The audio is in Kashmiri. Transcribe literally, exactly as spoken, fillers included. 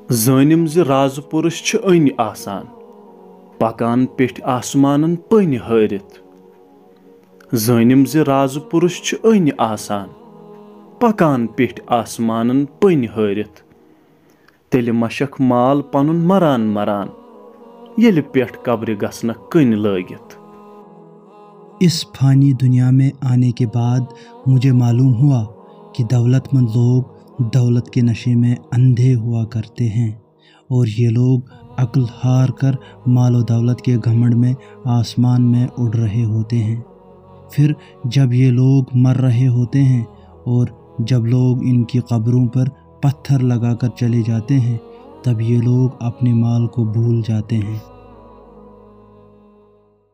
زٲنِم زِ رازٕ پُرُش چھِ أنۍ آسان، پکان پیٚٹھۍ آسمانن پٔنۍ ہٲرِتھ۔ زٲنِم زِ رازٕ پُرُش چھِ أنۍ آسان، پکان پیٚٹھۍ آسمانن پٔنۍ ہٲرِتھ۔ تیٚلہِ مشکھ مال پنُن مران مران، ییٚلہِ پٮ۪ٹھ قبرِ گژھنکھ کٔنۍ لٲگِتھ۔ इस फानी दुनिया में आने के बाद मुझे मालूम हुआ कि दौलतमंद लोग दौलत के नशे में अंधे हुआ करते हैं और ये लोग अक्ल हार कर माल और दौलत के घमंड में आसमान में उड़ रहे होते हैं। फिर जब ये लोग मर रहे होते हैं और जब लोग इनकी कब्रों पर पत्थर लगाकर चले जाते हैं, तब ये लोग अपने माल को भूल जाते हैं।